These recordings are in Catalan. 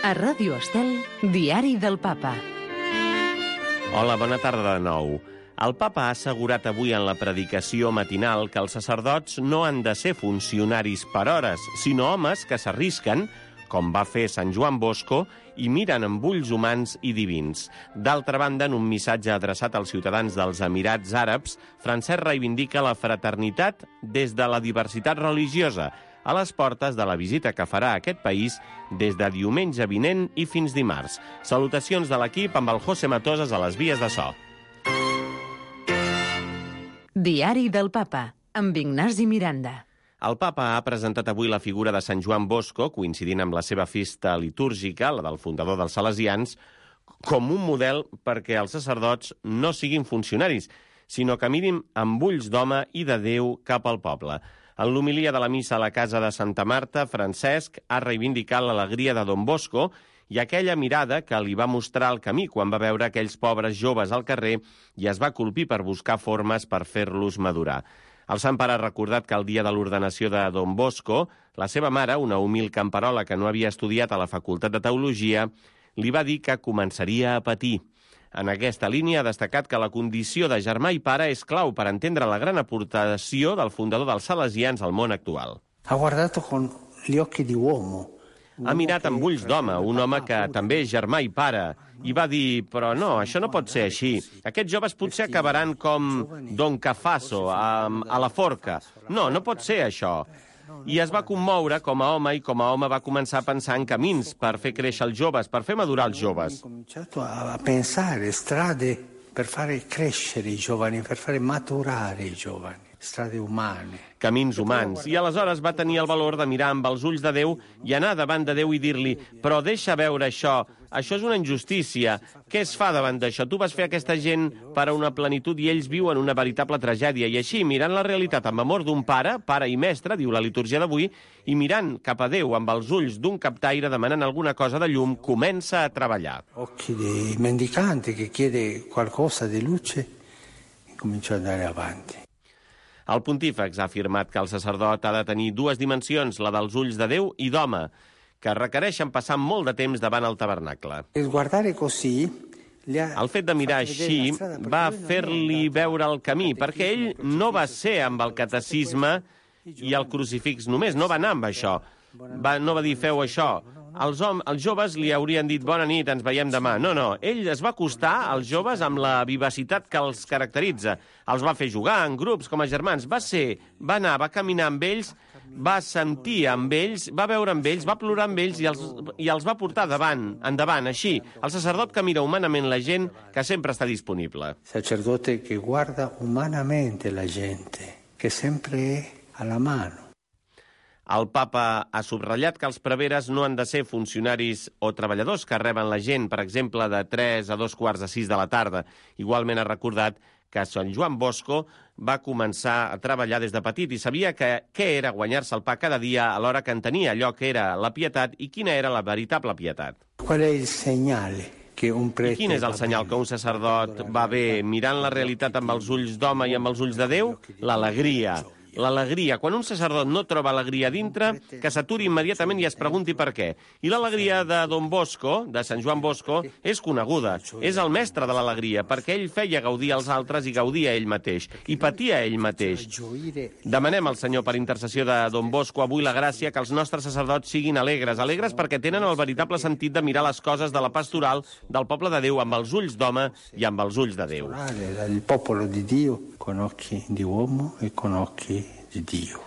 A Ràdio Estel, Diari del Papa. Hola, bona tarda de nou. El papa ha assegurat avui en la predicació matinal que els sacerdots no han de ser funcionaris per hores, sinó homes que s'arrisquen, com va fer Sant Joan Bosco, i miren amb ulls humans i divins. D'altra banda, en un missatge adreçat als ciutadans dels Emirats Àrabs, Francesc reivindica la fraternitat des de la diversitat religiosa, a les portes de la visita que farà a aquest país des de diumenge vinent i fins dimarts. Salutacions de l'equip amb el José Matosas a les vies de so. Diari del Papa, amb Ignasi Miranda. El papa ha presentat avui la figura de Sant Joan Bosco, coincidint amb la seva festa litúrgica, la del fundador dels Salesians, com un model perquè els sacerdots no siguin funcionaris, sinó que mirin amb ulls d'home i de Déu cap al poble. En l'homilia de la missa a la casa de Santa Marta, Francesc ha reivindicat l'alegria de Don Bosco i aquella mirada que li va mostrar el camí quan va veure aquells pobres joves al carrer i es va colpir per buscar formes per fer-los madurar. El Sant Pare ha recordat que el dia de l'ordenació de Don Bosco, la seva mare, una humil camperola que no havia estudiat a la Facultat de Teologia, li va dir que començaria a patir. En aquesta línia ha destacat que la condició de germà i pare és clau per entendre la gran aportació del fundador dels Salesians al món actual. Ha guardato con gli occhi di uomo. Ha mirat amb ulls d'home, un home que també és germà i pare, i va dir, però no, això no pot ser així. Aquests joves potser acabaran com Don Cafaso, a la forca. No, no pot ser això. I es va commoure com a home, i com a home va començar a pensar en camins per fer créixer els joves, per fer madurar els joves. Ha cominciato a pensare strade per fare crescere i giovani, per fare maturare i giovani. Strade umane. Camins humans. I aleshores va tenir el valor de mirar amb els ulls de Déu i anar davant de Déu i dir-li, però deixa veure això és una injustícia. Què es fa davant d'això? Tu vas fer aquesta gent per a una plenitud i ells viuen una veritable tragèdia. I així, mirant la realitat amb amor d'un pare i mestre, diu la litúrgia d'avui, i mirant cap a Déu amb els ulls d'un captaire demanant alguna cosa de llum, comença a treballar. Occhi di mendicante che chiede qualcosa di luce e comincia ad andare avanti. El pontífex ha afirmat que el sacerdot ha de tenir dues dimensions, la dels ulls de Déu i d'home, que requereixen passar molt de temps davant el tabernacle. El fet de mirar així va fer-li veure el camí, perquè ell no va ser amb el catecisme i el crucifix només, no va anar amb això. No va dir, feu això. Els joves li haurien dit, bona nit, ens veiem demà. No, ell es va acostar als joves amb la vivacitat que els caracteritza. Els va fer jugar en grups, com a germans. Va anar, va caminar amb ells, va sentir amb ells, va veure amb ells, va plorar amb ells i els va portar endavant, així. El sacerdot que mira humanament la gent, que sempre està disponible. Sacerdote que guarda humanamente la gente, que sempre è alla mano. El papa ha subratllat que els preveres no han de ser funcionaris o treballadors que reben la gent, per exemple, de 3 a 2:45 de la tarda. Igualment ha recordat que Sant Joan Bosco va començar a treballar des de petit i sabia què era guanyar-se el pa cada dia a l'hora que entenia allò que era la pietat i quina era la veritable pietat. Qual è il segnale? I quin és el senyal que un sacerdot va bé mirant la realitat amb els ulls d'home i amb els ulls de Déu? L'alegria. L'alegria. Quan un sacerdot no troba alegria dintre, que s'aturi immediatament i es pregunti per què. I l'alegria de Don Bosco, de Sant Joan Bosco, és coneguda. És el mestre de l'alegria, perquè ell feia gaudir als altres i gaudia ell mateix. I patia ell mateix. Demanem al Senyor, per intercessió de Don Bosco, avui la gràcia que els nostres sacerdots siguin alegres. Alegres perquè tenen el veritable sentit de mirar les coses de la pastoral del poble de Déu amb els ulls d'home i amb els ulls de Déu. Il popolo di Dio con occhi di uomo e con occhi di Dio.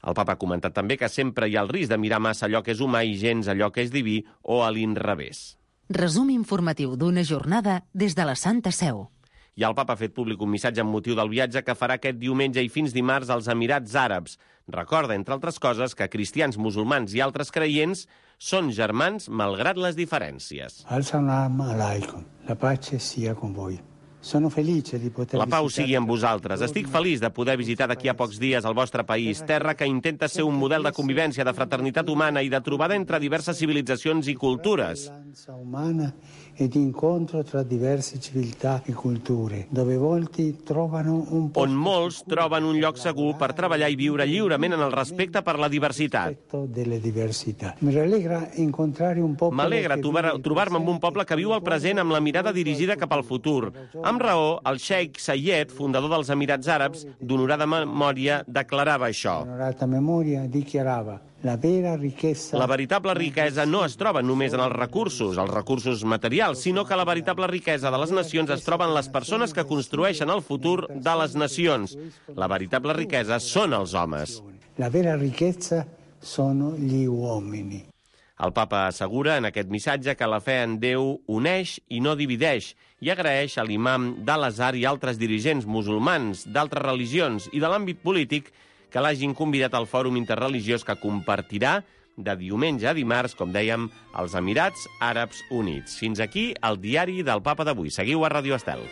El papa ha comentat també que sempre hi ha el risc de mirar massa allò que és humà i gens allò que és diví o a l'inrevés. Resum informatiu d'una jornada des de la Santa Seu. I el papa ha fet públic un missatge amb motiu del viatge que farà aquest diumenge i fins dimarts als Emirats Àrabs. Recorda, entre altres coses, que cristians, musulmans i altres creients són germans malgrat les diferències. Al-Salam alaikum. La pace sia con voi. La pau sigui amb vosaltres. Estic feliç de poder visitar d'aquí a pocs dies el vostre país, terra que intenta ser un model de convivència, de fraternitat humana i de trobada entre diverses civilitzacions i cultures. umana e di incontro tra diverse civiltà e culture, dove molti trovano un posto on molts troben un lloc segur per treballar i viure lliurement en el respecte per la diversitat. delle diversità. Mi rallegra incontrare un popolo M'alegra trobar-me amb un poble que viu el present amb la mirada dirigida cap al futur. Amb raó, el Sheikh Zayed, fundador dels Emirats Àrabs, d'honorada memòria, declarava això. Onorata memoria dichiarava: la veritable riquesa no es troba només en els recursos materials, sinó que la veritable riquesa de les nacions es troba en les persones que construeixen el futur de les nacions. La veritable riquesa són els homes. La vera ricchezza sono gli uomini. El papa assegura en aquest missatge que la fe en Déu uneix i no divideix i agraeix a l'imam d'Al-Azhar i altres dirigents musulmans d'altres religions i de l'àmbit polític que l'hagin convidat al fòrum interreligiós que compartirà de diumenge a dimarts, com dèiem, als Emirats Àrabs Units. Fins aquí el diari del Papa d'avui. Seguiu a Ràdio Estel.